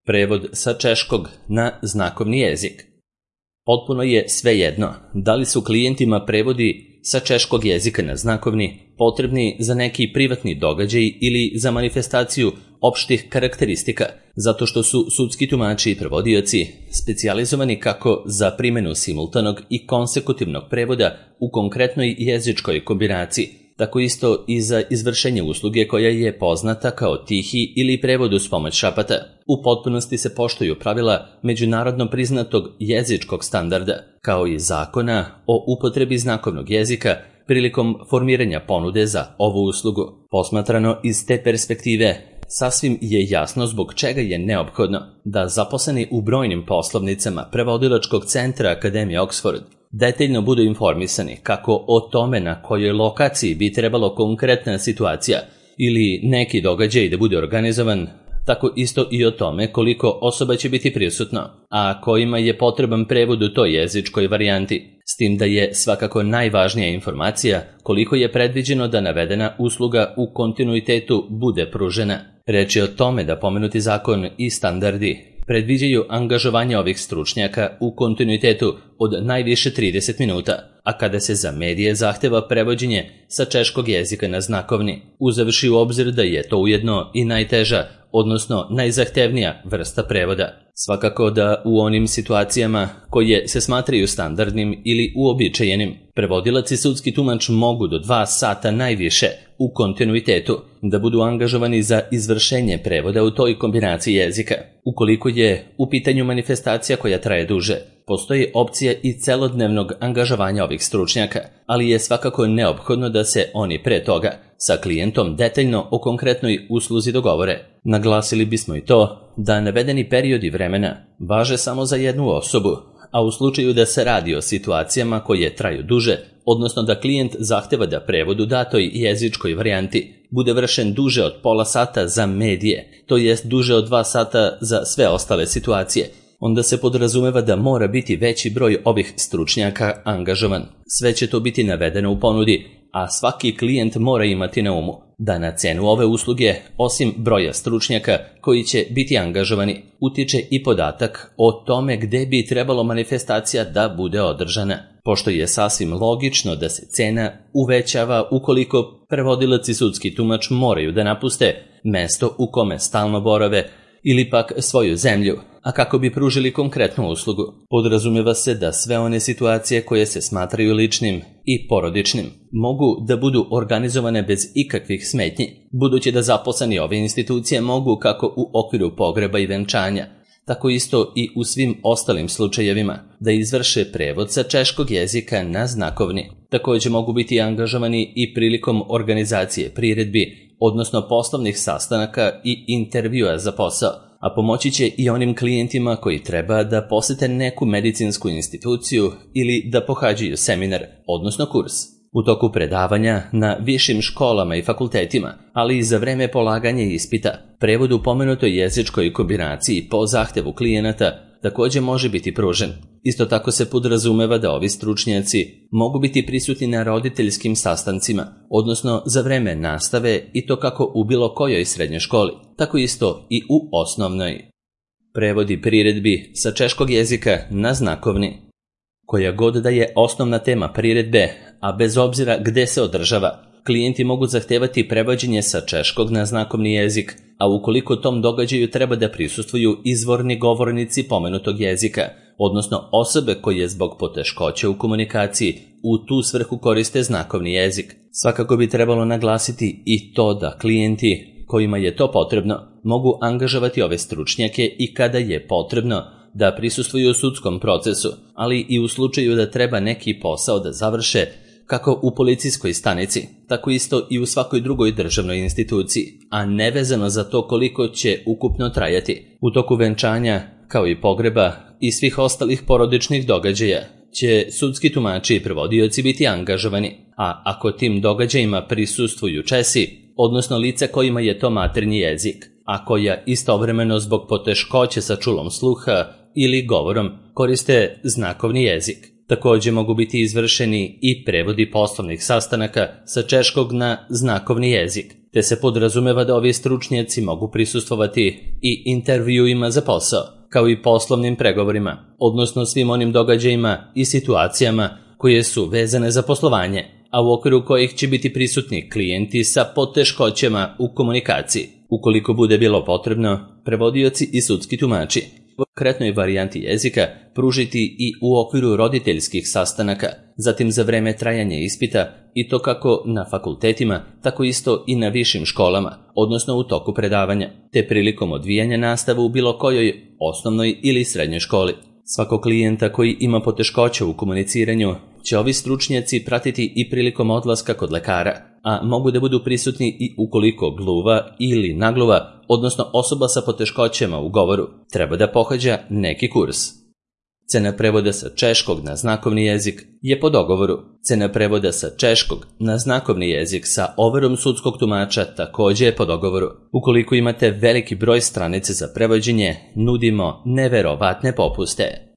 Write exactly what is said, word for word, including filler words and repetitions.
Prevod sa češkog na znakovni jezik. Potpuno je svejedno da li su klijentima prevodi sa češkog jezika na znakovni potrebni za neki privatni događaj ili za manifestaciju opštih karakteristika, zato što su sudski tumači i prevodioci specijalizovani kako za primjenu simultanog i konsekutivnog prevoda u konkretnoj jezičkoj kombinaciji, tako isto i za izvršenje usluge koja je poznata kao tihi ili prevod uz pomoć šapata. U potpunosti se poštuju pravila međunarodno priznatog jezičkog standarda, kao i zakona o upotrebi znakovnog jezika prilikom formiranja ponude za ovu uslugu. Posmatrano iz te perspektive, sasvim je jasno zbog čega je neophodno da zaposleni u brojnim poslovnicama prevodilačkog centra Akademije Oxford detaljno budu informisani kako o tome na kojoj lokaciji bi trebalo konkretna situacija ili neki događaj da bude organizovan, tako isto i o tome koliko osoba će biti prisutno, a kojima je potreban prevod u toj jezičkoj varijanti, s tim da je svakako najvažnija informacija koliko je predviđeno da navedena usluga u kontinuitetu bude pružena. Reč je o tome da pomenuti zakon i standardi predviđaju angažovanje ovih stručnjaka u kontinuitetu od najviše trideset minuta, a kada se za medije zahteva prevođenje sa češkog jezika na znakovni, uzevši u obzir da je to ujedno i najteža, odnosno najzahtevnija vrsta prevoda. Svakako da u onim situacijama koje se smatraju standardnim ili uobičajenim, prevodilac i sudski tumač mogu do dva sata najviše u kontinuitetu da budu angažovani za izvršenje prevoda u toj kombinaciji jezika. Ukoliko je u pitanju manifestacija koja traje duže, postoji opcija i celodnevnog angažovanja ovih stručnjaka, ali je svakako neophodno da se oni pre toga sa klijentom detaljno o konkretnoj usluzi dogovore. Naglasili bismo i to da navedeni periodi vremena važe samo za jednu osobu, a u slučaju da se radi o situacijama koje traju duže, odnosno da klijent zahteva da prevod u datoj jezičkoj varijanti bude vršen duže od pola sata za medije, to jest duže od dva sata za sve ostale situacije, onda se podrazumeva da mora biti veći broj ovih stručnjaka angažovan. Sve će to biti navedeno u ponudi, a svaki klijent mora imati na umu da na cenu ove usluge, osim broja stručnjaka koji će biti angažovani, utiče i podatak o tome gde bi trebalo manifestacija da bude održana, pošto je sasvim logično da se cena uvećava ukoliko prevodilac i sudski tumač moraju da napuste mesto u kome stalno borave ili pak svoju zemlju, a kako bi pružili konkretnu uslugu. Podrazumeva se da sve one situacije koje se smatraju ličnim i porodičnim mogu da budu organizovane bez ikakvih smetnji, budući da zaposleni ove institucije mogu kako u okviru pogreba i venčanja, tako isto i u svim ostalim slučajevima da izvrše prevod sa češkog jezika na znakovni. Također mogu biti angažovani i prilikom organizacije priredbi, odnosno poslovnih sastanaka i intervjua za posao, a pomoći će i onim klijentima koji treba da posete neku medicinsku instituciju ili da pohađaju seminar, odnosno kurs. U toku predavanja na višim školama i fakultetima, ali i za vreme polaganja ispita, prevod u pomenutoj jezičkoj kombinaciji po zahtevu klijenata također može biti pružen. Isto tako se podrazumeva da ovi stručnjaci mogu biti prisutni na roditeljskim sastancima, odnosno za vreme nastave i to kako u bilo kojoj srednjoj školi, tako isto i u osnovnoj. Prevodi priredbi sa češkog jezika na znakovni. Koja god da je osnovna tema priredbe, a bez obzira gde se održava, klijenti mogu zahtevati prevođenje sa češkog na znakovni jezik, a ukoliko tom događaju treba da prisustvuju izvorni govornici pomenutog jezika, odnosno osobe koje zbog poteškoća u komunikaciji u tu svrhu koriste znakovni jezik. Svakako bi trebalo naglasiti i to da klijenti kojima je to potrebno mogu angažovati ove stručnjake i kada je potrebno da prisustvuju u sudskom procesu, ali i u slučaju da treba neki posao da završe kako u policijskoj stanici, tako isto i u svakoj drugoj državnoj instituciji, a nevezano za to koliko će ukupno trajati. U toku venčanja, kao i pogreba i svih ostalih porodičnih događaja, će sudski tumači i prevodioci biti angažovani, a ako tim događajima prisustvuju Česi, odnosno lice kojima je to maternji jezik, a koja istovremeno zbog poteškoće sa čulom sluha ili govorom koriste znakovni jezik. Također mogu biti izvršeni i prevodi poslovnih sastanaka sa češkog na znakovni jezik, te se podrazumeva da ovi stručnjaci mogu prisustvovati i intervjuima za posao, kao i poslovnim pregovorima, odnosno svim onim događajima i situacijama koje su vezane za poslovanje, a u okviru kojih će biti prisutni klijenti sa poteškoćama u komunikaciji. Ukoliko bude bilo potrebno, prevodioci i sudski tumači u konkretnoj varijanti jezika pružiti i u okviru roditeljskih sastanaka, zatim za vreme trajanja ispita, i to kako na fakultetima, tako isto i na višim školama, odnosno u toku predavanja, te prilikom odvijanja nastave u bilo kojoj osnovnoj ili srednjoj školi. Svakog klijenta koji ima poteškoća u komuniciranju će ovi stručnjaci pratiti i prilikom odlaska kod lekara, a mogu da budu prisutni i ukoliko gluva ili nagluva, odnosno osoba sa poteškoćama u govoru, treba da pohađa neki kurs. Cena prevoda sa češkog na znakovni jezik je po dogovoru. Cena prevoda sa češkog na znakovni jezik sa overom sudskog tumača također je po dogovoru. Ukoliko imate veliki broj stranice za prevođenje, nudimo neverovatne popuste.